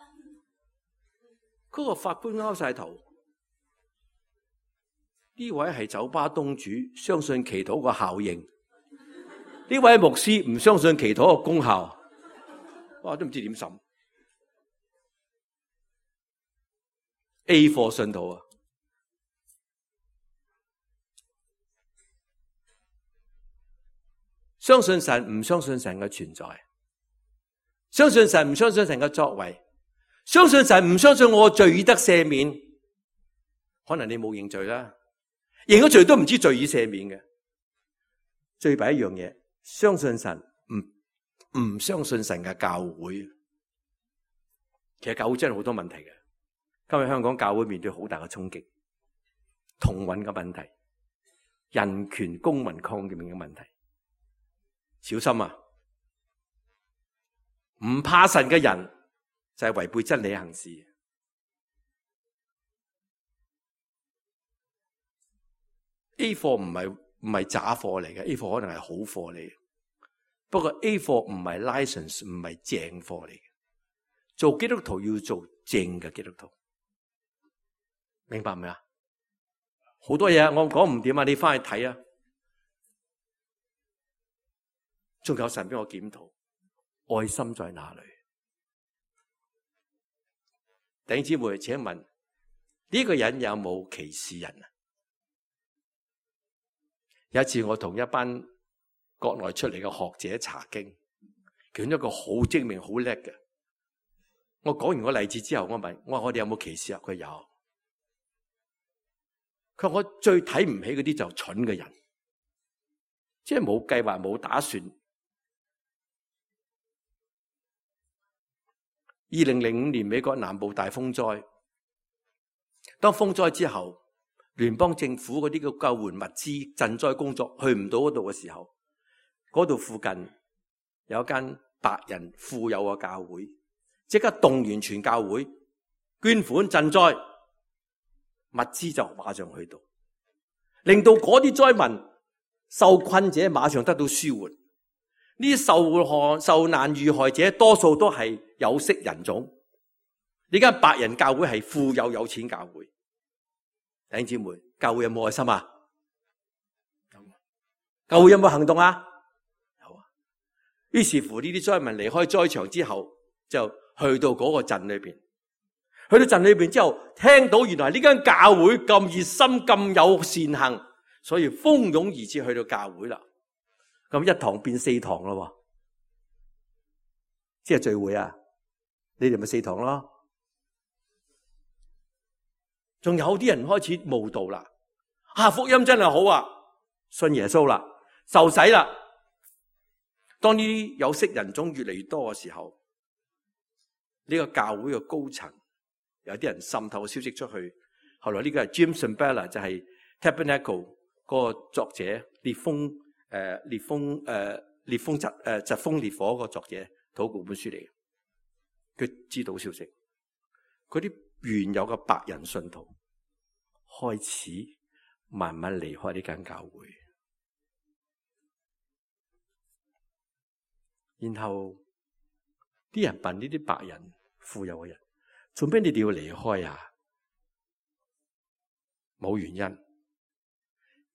嗰個法官拗晒頭，呢位係酒吧東主，相信祈禱個效應；呢位牧師唔相信祈禱個功效。哇，都唔知點審。A 貨信徒啊，相信神唔相信神嘅存在，相信神唔相信神嘅作為，相信神唔相信我罪已得赦免。可能你冇認罪啦，認咗罪都唔知罪已赦免嘅。最弊一樣嘢，相信神唔唔相信神嘅教會。其實教會真係好多問題嘅。今日香港教會面對好大嘅衝擊，同運嘅問題，人權公民抗命嘅問題，小心啊！唔怕神嘅人就係違背真理行事。A 貨唔係唔係假貨嚟嘅 ，A 貨可能係好貨嚟嘅，不過 A 貨唔係 license， 唔係正貨嚟嘅。做基督徒要做正嘅基督徒。明白未啊？好多嘢我講唔掂啊，你翻去睇啊。仲有神俾我檢討，愛心在哪裏？弟兄姊妹，請問呢、這個人有冇歧視人啊？有一次我同一班國內出嚟嘅學者查經，其中一個好精明、好叻嘅。我講完個例子之後，我問我話我哋有冇歧視啊？佢有。佢話我最睇唔起嗰啲就蠢嘅人，即係冇計劃冇打算。二零零五年美國南部大風災，當風災之後，聯邦政府嗰啲嘅救援物資、賑災工作去唔到嗰度嘅時候，嗰度附近有一間白人富有嘅教會，即刻動員全教會捐款賑災。物資就馬上去到，令到嗰啲災民受困者馬上得到舒緩。呢啲受害受難遇害者多數都係有色人種。呢間白人教會係富有有錢教會。弟兄姊妹，教會有冇愛心啊？教會有冇行動啊？有啊。於是乎呢啲災民離開災場之後，就去到嗰個鎮裏邊。去到鎮裏邊之後，聽到原來呢間教會咁熱心、咁有善行，所以蜂擁而至去到教會啦。咁一堂變四堂咯，即係聚會啊！你哋咪四堂咯。仲有啲人開始慕道啦，啊，福音真係好啊，信耶穌啦，受洗啦。當呢啲有色人種越嚟越多嘅時候，呢個教會嘅高層有啲人滲透消息出去。後來呢個係 Jim Cymbala，就係 Tabernacle 嗰個作者，烈風誒烈風誒烈風疾誒疾風烈火嗰個作者，禱告本書嚟嘅。佢知道消息，嗰啲原有嘅白人信徒開始慢慢離開呢間教會，然後啲人問呢啲白人富有嘅人，做咩你哋要離開啊？冇原因，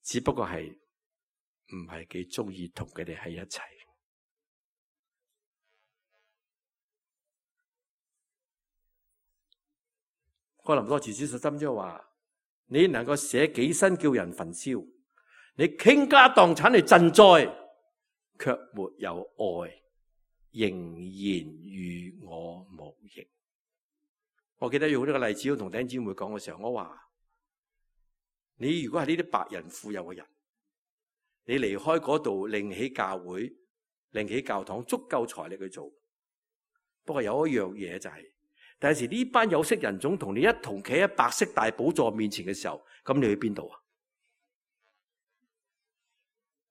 只不過係唔係幾中意同佢哋喺一齊。哥林多前書十三章話：你能夠捨己身叫人焚燒，你傾家蕩產嚟賑災，卻沒有愛，仍然與我無益。我記得用呢個例子我同弟兄姊妹講嘅時候，我話：你如果係呢啲白人富有嘅人，你離開嗰度另起教會、另起教堂，足夠財力去做。不過有一樣嘢就係、是，但係時呢班有色人種同你一同企喺白色大寶座面前嘅時候，咁你去邊度啊？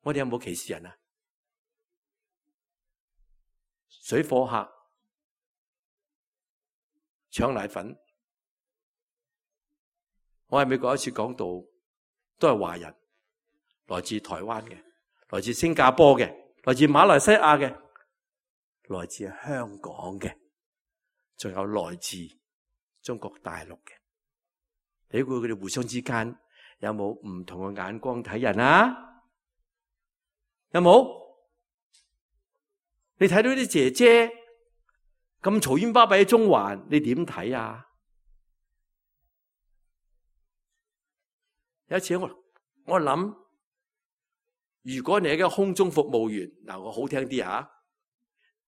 我哋有冇歧視人啊？水貨客、搶奶粉。我喺美國一次講道，都係華人，來自台灣嘅，來自新加坡嘅，來自馬來西亞嘅，來自香港嘅，仲有來自中國大陸嘅。你估佢哋互相之間有冇唔同嘅眼光睇人啊？有冇？你睇到啲姐姐咁嘈冤巴閉喺中環，你點睇啊？有一次我我諗，如果你係一個空中服務員，嗱，我好聽啲吓，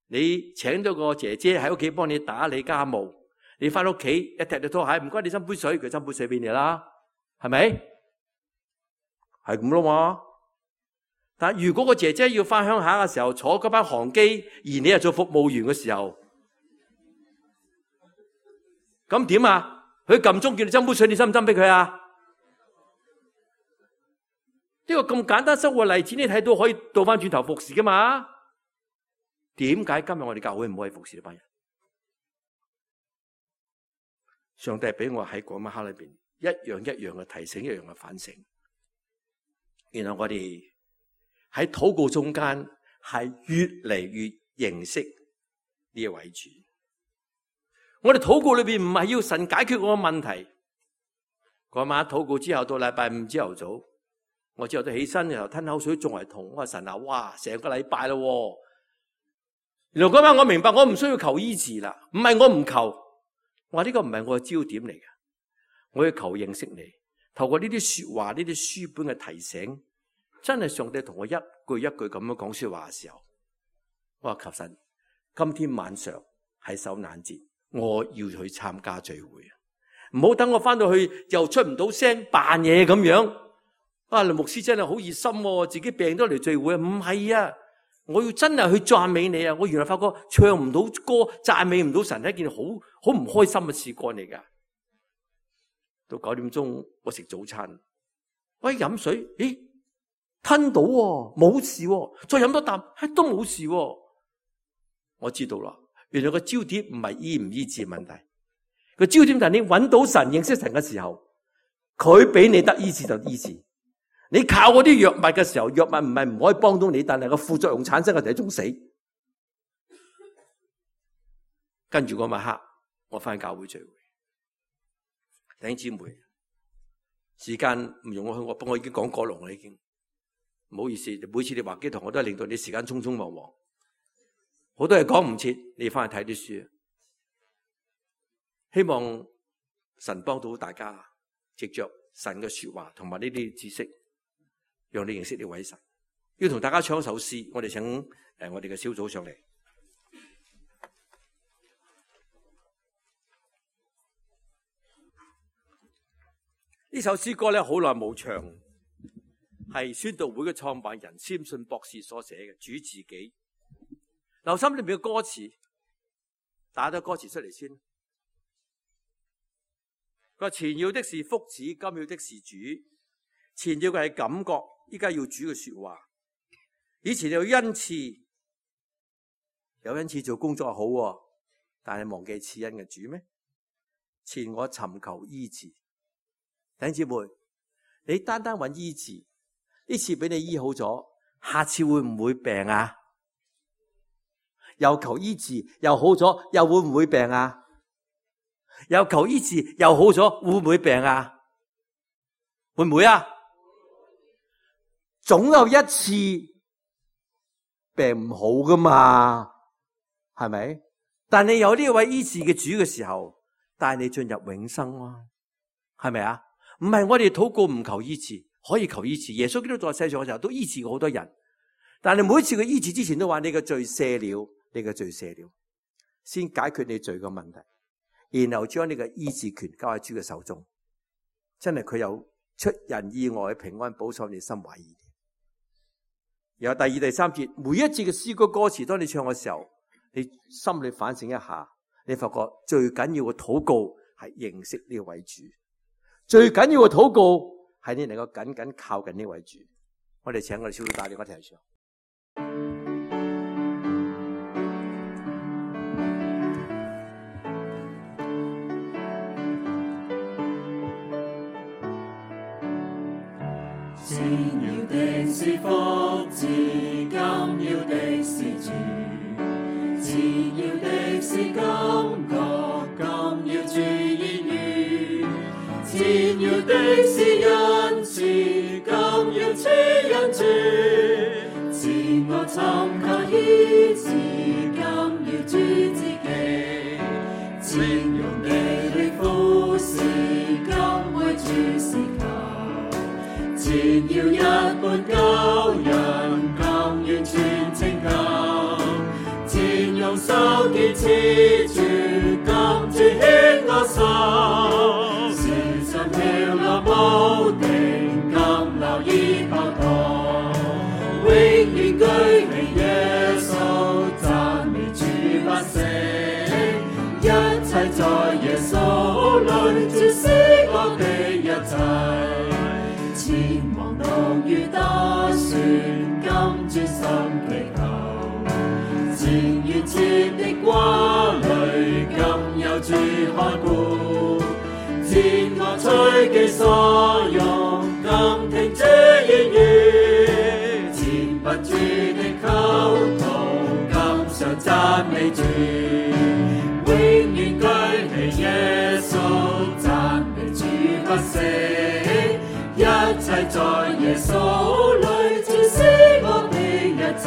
你請咗個姐姐喺屋企幫你打理家務，你翻屋企一踢到拖鞋，唔該你斟杯水，佢斟杯水俾你啦，係咪？係咁咯嘛。但如果個姐姐要翻鄉下嘅時候坐嗰班航機，而你係做服務員嘅時候，咁點啊？佢撳鐘叫你斟杯水，你斟唔斟俾佢啊？呢個咁簡單生活例子，你睇到可以倒翻轉頭服侍噶嘛？點解今日我哋教會唔可以服侍呢班人？上帝俾我喺嗰晚黑裏邊一樣一樣嘅提醒，一樣嘅反省。然後我哋喺禱告中間係越嚟越認識呢一位主。我哋禱告裏邊唔係要神解決我嘅問題。嗰晚禱告之後到禮拜五朝頭早，我之後都起身，然後吞口水仲係痛。我話神啊，哇，成個禮拜咯。原來嗰晚我明白，我唔需要求醫治啦。唔係我唔求，我話呢個唔係我嘅焦點嚟嘅。我要求認識你，透過呢啲說話、呢啲書本嘅提醒，真係上帝同我一句一句咁樣講說話嘅時候，我話求神，今天晚上係受難節，我要去參加聚會啊！唔好等我翻到去又出唔到聲，扮嘢咁樣。啊，林牧師真係好熱心，自己病都嚟聚會啊！唔係啊，我要真係去讚美你啊！我原來發覺唱唔到歌，讚美唔到神係一件好好唔開心嘅事幹嚟噶。到九點鐘，我食早餐，我一飲水，咦，吞到喎，冇事喎，再飲多啖，都冇事喎。我知道啦，原來個焦點唔係醫唔醫治問題，個焦點就係你揾到神、認識神嘅時候，佢俾你得醫治就醫治。你靠嗰啲藥物嘅時候，藥物唔係唔可以幫到你，但係個副作用產生嘅就係一種死。跟住嗰晚黑，我翻教會聚會，弟兄姊妹，時間唔容我去，我不過我已經講過龍啦，已經唔好意思。每次你話基堂，我都係令到你時間匆匆忙忙，好多嘢講唔切，你翻去睇啲書。希望神幫到大家，藉着神嘅說話同埋呢啲知識，讓你認識呢位神。要同大家唱一首詩，我哋請誒我哋嘅小組上嚟。呢首詩歌咧好耐冇唱，係宣道會嘅創辦人詹信博士所寫嘅，主自己。留心裏面嘅歌詞，打咗歌詞出嚟先。佢話前要的是福祉，今要的是主。前要嘅係感覺，依家要主嘅說話。以前有恩賜，有恩賜做工作好，但係忘記賜恩嘅主咩？前我尋求醫治。弟兄姊妹，你單單揾醫治，呢次俾你醫好咗，下次會唔會病啊？又求醫治，又好咗，又會唔會病啊？又求醫治，又好咗，會唔會病啊？會唔會啊？總有一次病唔好噶嘛，係咪？但你有呢位醫治嘅主嘅時候，帶你進入永生啊，係咪啊？唔係我哋禱告唔求醫治，可以求醫治。耶穌基督在世上嘅時候都醫治過好多人，但係每次佢醫治之前都話你嘅罪赦了，你嘅罪赦了，先解決你罪嘅問題，然後將你嘅醫治權交喺主嘅手中。真係佢有出人意外嘅平安保守你心懷意念。然後第二、第三節，每一節嘅詩歌歌詞，當你唱嘅時候，你心裏反省一下，你發覺最緊要嘅禱告係認識呢位主。最緊要嘅禱告係你能夠緊緊靠近呢位主。我哋請我哋小組帶領我哋一齊唱。前要的是福祉，今要的是主。前要的是感覺，今要主言語。前要的是恩賜，今要主恩主。前我尋求醫治，今要主自己。前用你力服侍，今為主事求。前要一般救人，今完全拯救。前用手堅持住，今主牽我手。跳落無定，今留意跑道，永遠舉起耶穌，讚美主不息。一切在耶穌裏，照釋我的一切。前往路遇打算，今專心祈求。前願切的掛慮，今有主看顧。前我隨己所用，今聽主言語。前不住的溝通，今常讚美主。永遠舉起耶穌，讚美主不息。一切在耶穌裏，照釋我的一切。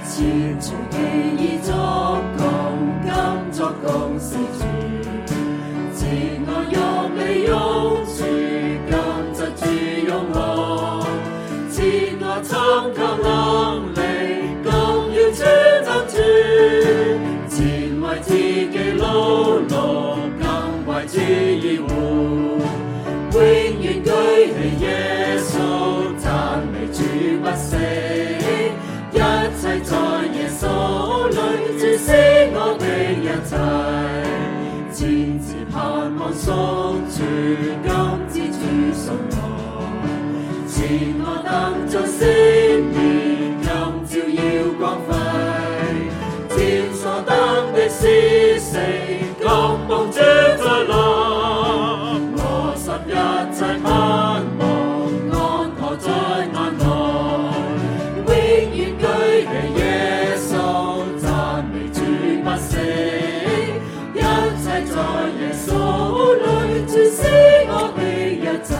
前隨己意作工，今作工是主。前我用你用處，今則主用我。前我尋求能力，今要主作主。前為自己勞碌，今為主而活。永遠舉起耶穌，讚美主不息。一切在耶穌裏，照釋我的一切。前自盼望宿主，今知主信我。前我等在星面，今照耀光輝。前所等的是誰，今望主再來。我心一切盼望，安可在眼內。耶穌讚美主不息，一切在耶穌裏，照釋我的一切。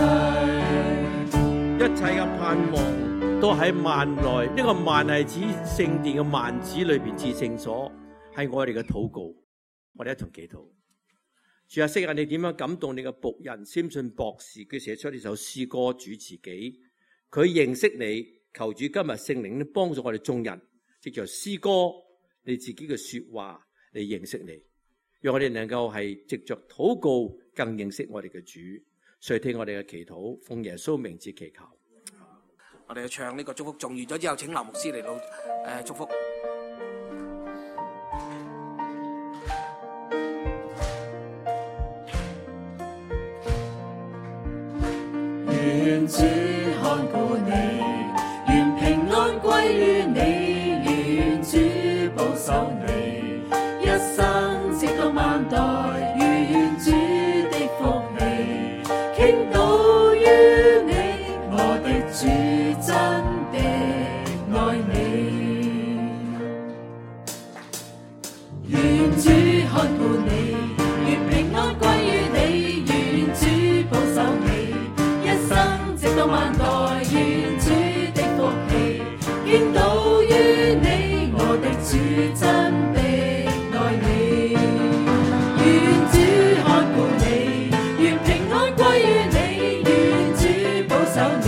喺幔內，呢、這個幔係指聖殿嘅幔子裏邊至聖所，係我哋嘅禱告。我哋一同祈禱。主啊，昔日你點樣感動你嘅僕人先信博士，佢寫出呢首詩歌主自己，佢認識你，求主今日聖靈都幫助我哋眾人，藉着詩歌你自己嘅說話嚟認識你，讓我哋能夠係藉着禱告更認識我哋嘅主。垂聽我哋嘅祈禱，奉耶穌名字祈求。我哋去唱呢個祝福頌完咗之後，請劉牧師嚟到誒祝福。願主看顧你，願平安歸於你，願主保守你，一生直到萬代，願主的福氣傾倒於你，我的主真的愛你。願主看顧你，願平安歸於你，願主保守你，一生直到萬代，願主的福氣傾倒於你，我的主真的愛你。願主看顧你，願平安歸於你，願主保守你，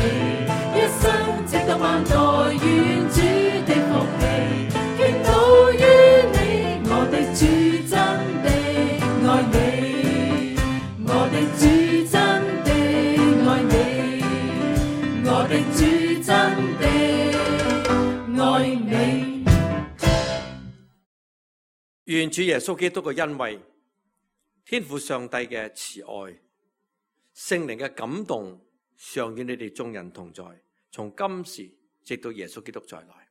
一生直到萬代，願主的福氣傾倒於你，我的主真的愛你，我的主真的愛你，我的主真的愛你。願主耶穌基督嘅恩惠、天父上帝嘅慈愛、聖靈嘅感動，常與你哋眾人同在，從今時直到耶穌基督再來。